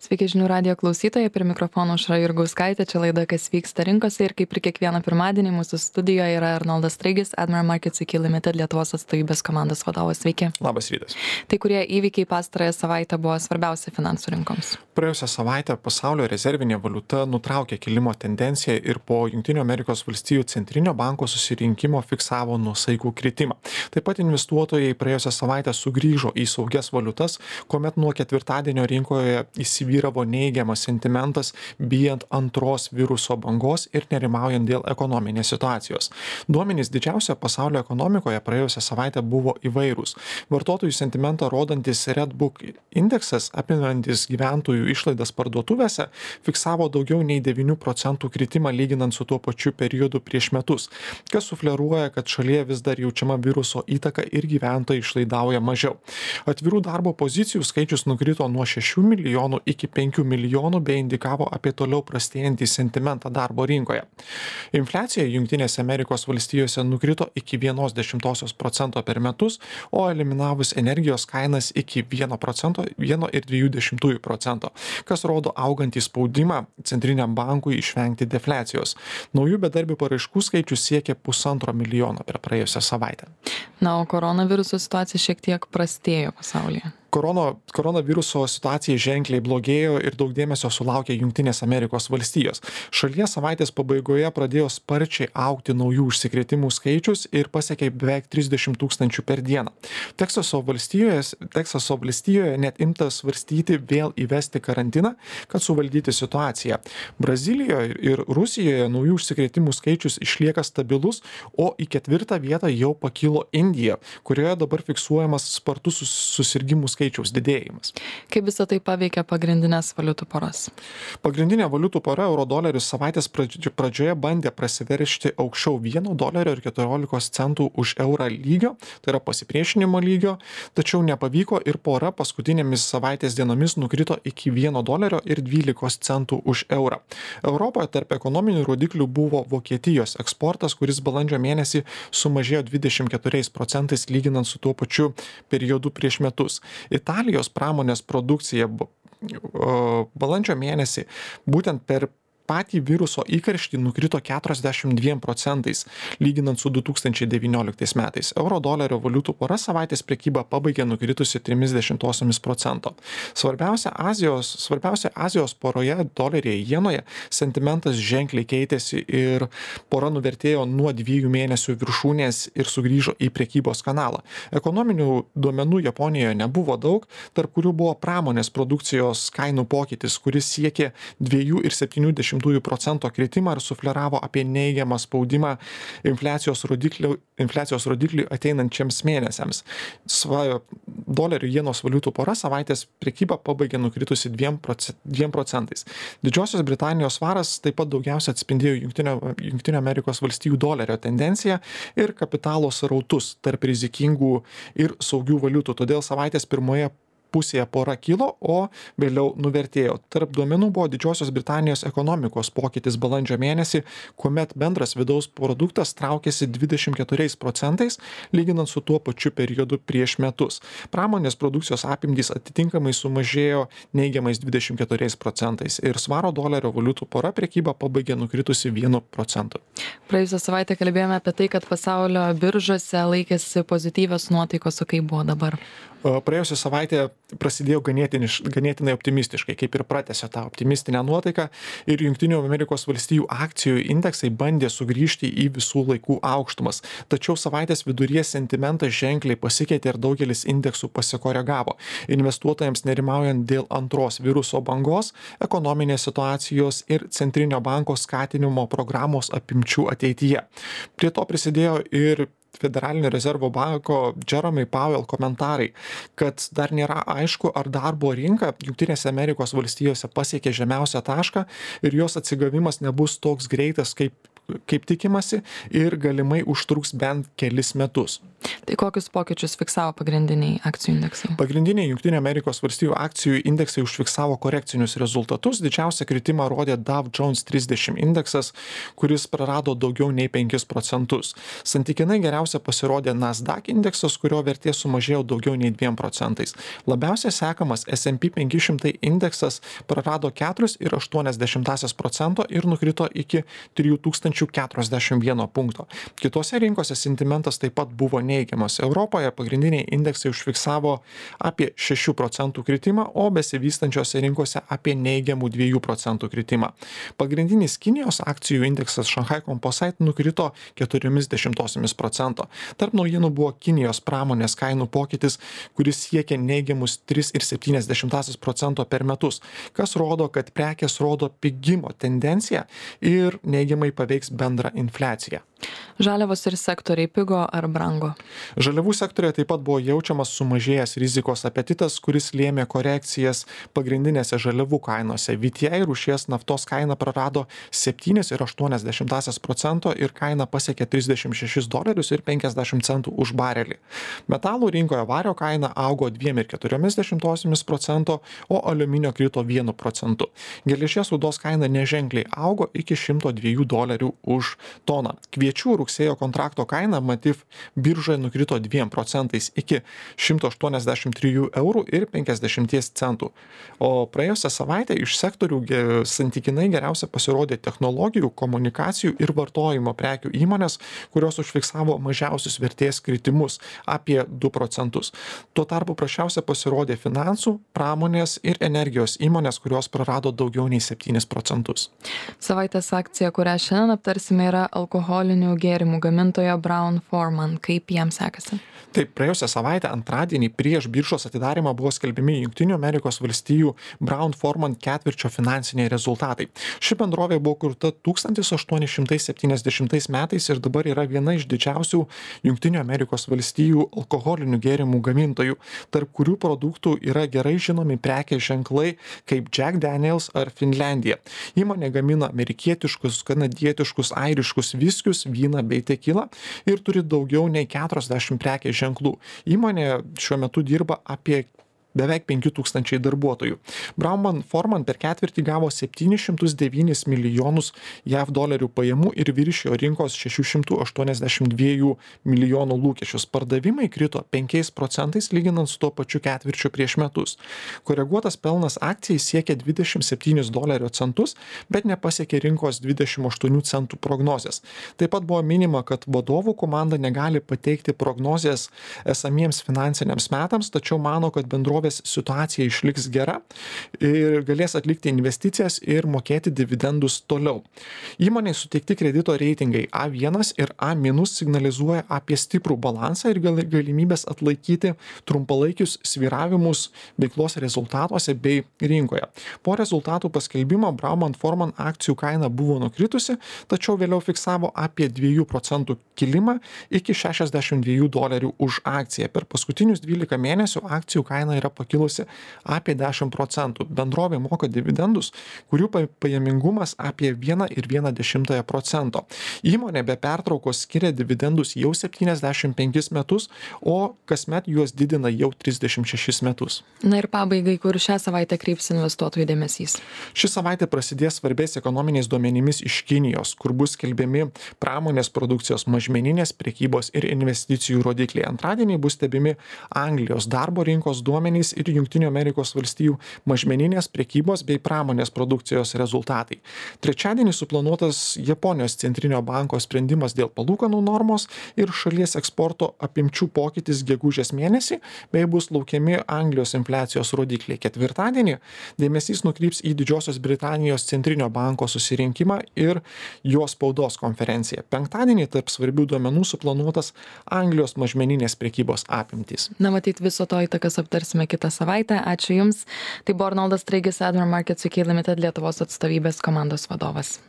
Sveiki žinių radijo klausytojai, prie mikrofono Aušra Jurgauskaitė, čia laida Kas vyksta rinkose ir kaip ir kiekvieną pirmadienį mūsų studijoje yra Arnoldas Straigis, Admiral Markets iki Limited Lietuvos atstovybės komandos vadovas. Sveiki. Labas rytas. Tai kurie įvykiai pastarąją savaitę buvo svarbiausia finansų rinkoms? Praėjusią savaitę pasaulio rezervinė valiuta nutraukė kilimo tendenciją ir po Jungtinių Amerikos valstijų centrinio banko susirinkimo fiksavo nuosaikų kritimą. Taip pat investuotojai praėjusią savaitę sugrįžo į saugias valiutas, kuomet nuo ketvirtadienio rinkoje įsivyravo neigiamas sentimentas, bijant antros viruso bangos ir nerimaujant dėl ekonominės situacijos. Duomenys didžiausia pasaulio ekonomikoje praėjusią savaitę buvo įvairūs. Vartotojų sentimentą rodantis Redbook indeksas, apimantis gyventojų išlaidas parduotuvėse, fiksavo daugiau nei 9% kritimą lyginant su tuo pačiu periodu prieš metus, kas sufleruoja, kad šalyje vis dar jaučiama viruso įtaka ir gyventojai išlaidauja mažiau. Atvirų darbo pozicijų skaičius nukrito nuo 6 milijonų iki 5 milijonų bei indikavo apie toliau prastėjantį sentimentą darbo rinkoje. Infliacija Jungtinėse Amerikos valstijose nukrito iki 0,1% per metus, o eliminavus energijos kainas iki 1,2%, kas rodo augantį spaudimą centriniam bankui išvengti defliacijos. Naujų bedarbių paraiškų skaičius siekė 1,5 milijono per praėjusią savaitę. Na, o koronaviruso situacija šiek tiek prastėjo pasaulyje. Koronaviruso situacija ženkliai blogėjo ir daug dėmesio sulaukė Jungtinės Amerikos valstijos. Šalyje savaitės pabaigoje pradėjo sparčiai augti naujų užsikrėtimų skaičius ir pasiekė beveik 30 000 per dieną. Teksaso valstijoje net imta svarstyti vėl įvesti karantiną, kad suvaldyti situaciją. Brazilijoje ir Rusijoje naujų užsikrėtimų skaičius išlieka stabilus, o į 4. vietą jau pakilo Indija, kurioje dabar fiksuojamas spartus susirgimų skaičiaus didėjimas. Kaip visą tai paveikia pagrindinės valiutų poras? Pagrindinė valiutų pora euro-doleris savaitės pradžioje bandė prasiveržti aukščiau $1.14 už eurą lygio, tai yra pasipriešinimo lygio, tačiau nepavyko ir pora paskutinėmis savaitės dienomis nukrito iki $1.12 už eurą. Europoje tarp ekonominių rodiklių buvo Vokietijos eksportas, kuris balandžio mėnesį sumažėjo 24% lyginant su tuo pačiu periodu prieš metus. Italijos pramonės produkcija balandžio mėnesį būtent per patį viruso įkarštį nukrito 42%, lyginant su 2019 metais. Euro-dolerio valiutų pora savaitės prekybą pabaigė nukritusi 0,30%. Svarbiausia Azijos poroje doleryje jenoje sentimentas ženkliai keitėsi ir pora nuvertėjo nuo 2 mėnesių viršūnės ir sugrįžo į prekybos kanalą. Ekonominių duomenų Japonijoje nebuvo daug, tarp kurių buvo pramonės produkcijos kainų pokytis, kuris siekė 2,7% kritimą ir sufleravo apie neigiamą spaudimą infliacijos rodikliui ateinančiams mėnesiams. Dolerių jenos valiutų pora savaitės prekybą pabaigė nukritusi 2%. Didžiosios Britanijos svaras taip pat daugiausia atspindėjo Jungtinių Amerikos valstijų dolerio tendenciją ir kapitalo srautus tarp rizikingų ir saugių valiutų. Todėl savaitės pirmoje pusėje pora kilo, o vėliau nuvertėjo. Tarp duomenų buvo Didžiosios Britanijos ekonomikos pokytis balandžio mėnesį, kuomet bendras vidaus produktas traukėsi 24%, lyginant su tuo pačiu periodu prieš metus. Pramonės produkcijos apimtys atitinkamai sumažėjo neigiamais 24% ir svaro dolerio valiutų pora prekybą pabaigė nukritusi 1%. Praėjusią savaitę kalbėjome apie tai, kad pasaulio biržose laikėsi pozityvios nuotaikos, o kaip buvo dabar? Praėjusią savaitę prasidėjo ganėtinai optimistiškai, kaip ir pratęsė tą optimistinę nuotaiką ir Jungtinių Amerikos valstijų akcijų indeksai bandė sugrįžti į visų laikų aukštumas. Tačiau savaitės viduryje sentimentas ženkliai pasikeitė ir daugelis indeksų pasikoregavo. Investuotojams nerimaujant dėl antros viruso bangos, ekonominės situacijos ir centrinio banko skatinimo programos apimčių ateityje. Prie to prisidėjo ir Federalinio rezervo banko Jerome Powell komentarai, kad dar nėra aišku, ar darbo rinka Jungtinėse Amerikos valstijose pasiekė žemiausią tašką ir jos atsigavimas nebus toks greitas, kaip kaip tikimasi, ir galimai užtruks bent kelis metus. Tai kokius pokyčius fiksavo pagrindiniai akcijų indeksai? Pagrindiniai Junktinių Amerikos valstijų akcijų indeksai užfiksavo korekcinius rezultatus. Didžiausią kritimą rodė Dow Jones 30 indeksas, kuris prarado daugiau nei 5%. Santykinai geriausia pasirodė Nasdaq indeksas, kurio vertė sumažėjo daugiau nei 2%. Labiausiai sekamas S&P 500 indeksas prarado 4,8% ir nukrito iki 3041 punkto. Kitose rinkose sentimentas taip pat buvo neigiamas. Europoje pagrindiniai indeksai užfiksavo apie 6% kritimą, o besivystančiose rinkose apie neigiamų 2% kritimą. Pagrindinis Kinijos akcijų indeksas Shanghai Composite nukrito 0,4%. Tarp naujienų buvo Kinijos pramonės kainų pokytis, kuris siekia neigiamus 3,7% per metus, kas rodo, kad prekės rodo pigimo tendenciją ir neigiamai paveiks bendrą infliaciją. Žaliavos ir sektoriai pigo ar brango? Žaliavų sektorėje taip pat buvo jaučiamas sumažėjęs rizikos apetitas, kuris lėmė korekcijas pagrindinėse žaliavų kainose. VTI rūšies naftos kaina prarado 7,8% ir kaina pasiekė $36.50 už barelį. Metalų rinkoje vario kaina augo 2,4%, o aliuminio krito 1%. Geležies rūdos kaina neženkliai augo iki $102 už toną. Kviečių rugsėjo kontrakto kaina Matif biržoje nukrito 2% iki €183,50. O praėjusią savaitę iš sektorių santykinai geriausia pasirodė technologijų, komunikacijų ir vartojimo prekių įmonės, kurios užfiksavo mažiausius vertės kritimus apie 2%. Tuo tarpu prasčiausia pasirodė finansų, pramonės ir energijos įmonės, kurios prarado daugiau nei 7%. Savaitės akcija, kurią šiandien aptarsime, yra alkoholinių gėrimų gamintojo Brown-Forman. Kaip jam sekasi? Taip, praėjusią savaitę antradienį prieš biržos atidarymą buvo skelbiami Junktinių Amerikos valstijų Brown-Forman ketvirčio finansiniai rezultatai. Ši bendrovė buvo kurta 1870 metais ir dabar yra viena iš didžiausių Junktinių Amerikos valstijų alkoholinių gėrimų gamintojų, tarp kurių produktų yra gerai žinomi prekės ženklai kaip Jack Daniels ar Finlandija. Įmonė gamina amerikietiškus, kanadietiškus, airiškus viskius, vyną bei tekilą ir turi daugiau nei 40 prekės ženklų. Įmonė šiuo metu dirba apie beveik 5000 darbuotojų. Brown-Forman per ketvirtį gavo 709 milijonus JAV dolerių pajamų ir viršijo rinkos 682 milijonų lūkesčius. Pardavimai krito 5% lyginant su tuo pačiu ketvirčiu prieš metus. Koreguotas pelnas akcijai siekia $27, bet nepasiekė rinkos 28 centų prognozės. Taip pat buvo minima, kad vadovų komanda negali pateikti prognozės esamiems finansiniams metams, tačiau mano, kad bendrovės situacija išliks gera ir galės atlikti investicijas ir mokėti dividendus toliau. Įmonei suteikti kredito reitingai A1 ir A- signalizuoja apie stiprų balansą ir galimybės atlaikyti trumpalaikius svyravimus veiklos rezultatuose bei rinkoje. Po rezultatų paskelbimo Brown-Forman akcijų kaina buvo nukritusi, tačiau vėliau fiksavo apie 2% kilimą iki $62 už akciją. Per paskutinius 12 mėnesių akcijų kaina yra pakilusi apie 10%. Bendrovė moka dividendus, kurių pajamingumas apie 1,1%. Įmonė be pertraukos skiria dividendus jau 75 metus, o kasmet juos didina jau 36 metus. Na ir pabaigai, kur šią savaitę kreips investuotojų dėmesys? Ši savaitė prasidės svarbiais ekonominiais duomenimis iš Kinijos, kur bus skelbiami pramonės produkcijos, mažmeninės prekybos ir investicijų rodikliai. Antradienį bus stebimi Anglijos darbo rinkos duomenys ir Junktinių Amerikos valstijų mažmeninės prekybos bei pramonės produkcijos rezultatai. Trečiadienį suplanuotas Japonijos centrinio banko sprendimas dėl palūkanų normos ir šalies eksporto apimčių pokytis gegužės mėnesį, bei bus laukiami Anglijos infliacijos rodikliai. Ketvirtadienį dėmesys nukryps į Didžiosios Britanijos centrinio banko susirinkimą ir jo spaudos konferenciją. Penktadienį tarp svarbių duomenų suplanuotas Anglijos mažmeninės prekybos apimtys. Na, matyt, viso to įtakas aptarsime kitą savaitę. Ačiū Jums. Tai buvo Arnoldas Straigis, Admiral Markets UK Limited Lietuvos atstovybės komandos vadovas.